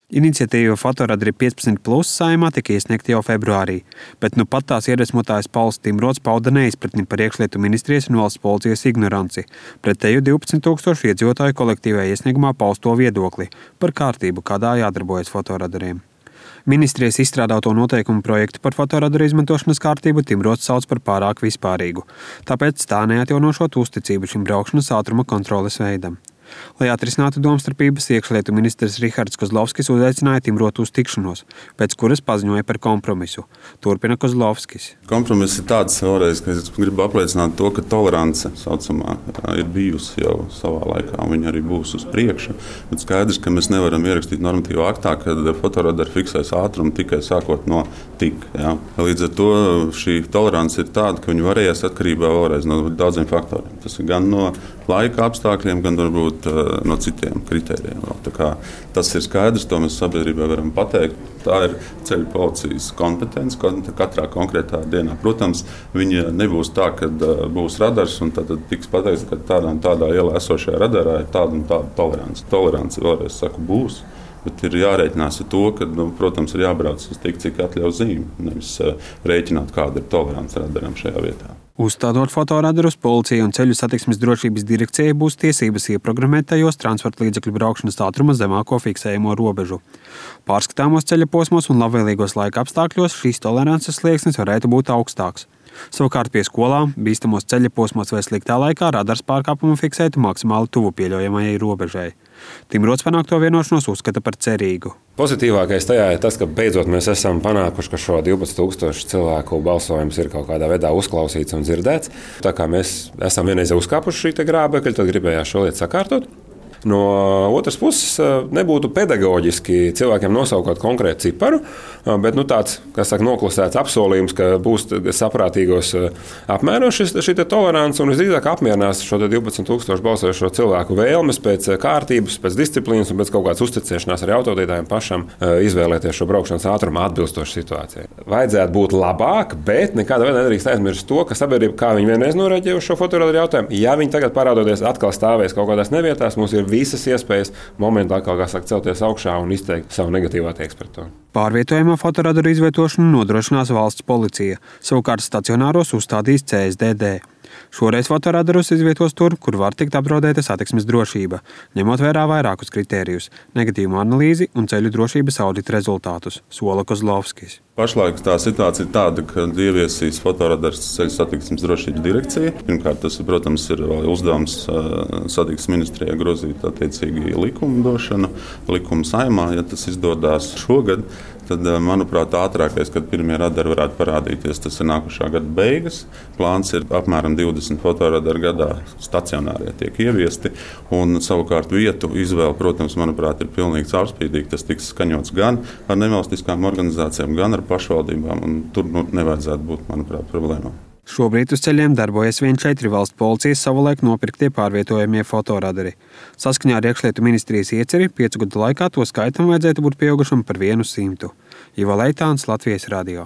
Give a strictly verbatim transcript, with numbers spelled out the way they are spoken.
Iniciatīva Fotoradari piecpadsmit plus Saeimā tika iesniegta jau februārī, bet nu pat tās iedvesmotājs Pauls Timrots pauda neizpratni par iekšlietu ministrijas un valsts policijas ignoranci pretēju divpadsmit tūkstošu iedzīvotāju kolektīvajā iesniegumā pausto viedokli par kārtību, kādā jādarbojas fotoradariem. Ministrijas izstrādāto noteikumu projektu par fotoradaru izmantošanas kārtību Timrots sauc par pārāk vispārīgu, tāpēc tā neatjaunošot uzticību šim braukšanas ātruma kontroles veidam. Lai atrisinātu domstarpības, iekšlietu ministrs Rihards Kozlovskis uzaicināja Timrotu uz tikšanos, pēc kuras paziņoja par kompromisu. Turpina Kozlovskis. Kompromiss ir tāds vēlreiz, ka es gribu apliecināt to, ka tolerance saucamā ir bijusi jau savā laikā, un viņa arī būs uz priekšu. Bet skaidrs, ka mēs nevaram ierakstīt normatīvā aktā, kad fotoradari fiksēs ātrumu tikai sākot no tik. Ja? Līdz ar to šī tolerance ir tāda, ka viņi varēs atkarībā vēlreiz no daudziem faktoriem. Tas ir gan no laika apstākļiem, gan varbūt no citiem kritērijiem. Tas ir skaidrs, to mēs sabiedrībai varam pateikt. Tā ir ceļu policijas kompetence katrā konkrētā dienā. Protams, viņa nebūs tā, ka būs radars un tad tiks pateikts, ka tādā un tādā ielā esošajā radarā ir tāda un tāda tolerance. Tolerance, vēlreiz saku, būs. Bet ir jārēķinās ar to, ka, nu, protams, ir jābrauc uz tik, cik atļauj zīme, nevis rēķināt, kāda ir tolerance radaram šajā vietā. Uzstādot fotoradarus, policija un ceļu satiksmes drošības direkcijai būs tiesības ieprogrammēt tajos transporta līdzekļu braukšanas ātruma zemāko fiksējamo robežu. Pārskatāmos ceļa posmos un labvēlīgos laika apstākļos šīs tolerances slieksnis varētu būt augstāks. Savukārt pie skolām, bīstamos ceļa posmos vai sliktā laikā radars pārkāpumu fiksētu maksimāli tuvu pieļaujamajai robežai. Timrots panākto vienošanos uzskata par cerīgu. Pozitīvākais tajā ir tas, ka beidzot mēs esam panākuši, ka šo divpadsmit tūkstošu cilvēku balsojums ir kaut kādā veidā uzklausīts un dzirdēts. Tā kā mēs esam vienreiz uzkāpuši šī grābekļa, tad gribējās šo lietu sakārtot. No otras puses, nebūtu pedagoģiski cilvēkiem nosaukt konkrētu ciparu, bet nu, tāds, kas saka, noklusēts apsolījums, ka būs saprātīgos apmēros šis, šī tolerance un visdrīzāk apmierinās šo divpadsmit tūkstošu balsojošo cilvēku vēlmes pēc kārtības, pēc disciplīnas un pēc kaut kādas uzticēšanās arī autovadītājiem pašam izvēlēties šo braukšanas ātrumu atbilstoši situācijai. Vajadzētu būt labāk, bet nekādā veidā nedrīkst aizmirst to, ka sabiedrība, kā viņi vienreiz norēģēja uz šo fotoradaru jautājumu, ja viņi tagad parādoties atkal stāvēs kaut kādās nevietās, mums ir visas iespējas momentā atkal, kā saka, celties augšā un izteikt savu negatīvu attieksmi pret to. Pārvietojamo fotoradaru izvietošanu nodrošinās valsts policija, savukārt stacionāros uzstādīs C S D D. Šoreiz fotoradarus izvietos tur, kur var tikt apdraudēta satiksmes drošība, ņemot vērā vairākus kritērijus – negatīvu analīzi un ceļu drošības audita rezultātus, sola Kozlovskis. Pašlaik tā situācija ir tāda, ka ieviesīs fotoradars ceļu satiksmes drošības direkcija. Pirmkārt, tas, protams, ir uzdevums satiksmes ministrijai grozīt attiecīgi likumdošanu, likuma Saeimā, ja tas izdodās šogad. Tad, manuprāt, ātrākais, kad pirmie radari varētu parādīties, tas ir nākušā gada beigas. Plāns ir apmēram divdesmit fotoradari gadā stacionārie tiek ieviesti. Un, savukārt, vietu izvēle, protams, manuprāt, ir pilnīgi caurspīdīga. Tas tiks skaņots gan ar nevalstiskām organizācijām, gan ar pašvaldībām. Un tur nu, nevajadzētu būt, manuprāt, problēmām. Šobrīd uz ceļiem darbojas vien četri valsts policijas savulaik nopirktie pārvietojamie fotoradari. Saskaņā ar iekšlietu ministrijas ieceri piecu gadu laikā to skaitam vajadzētu būt pieaugušam par vienu simtu. Ivo Leitāns, Latvijas radio.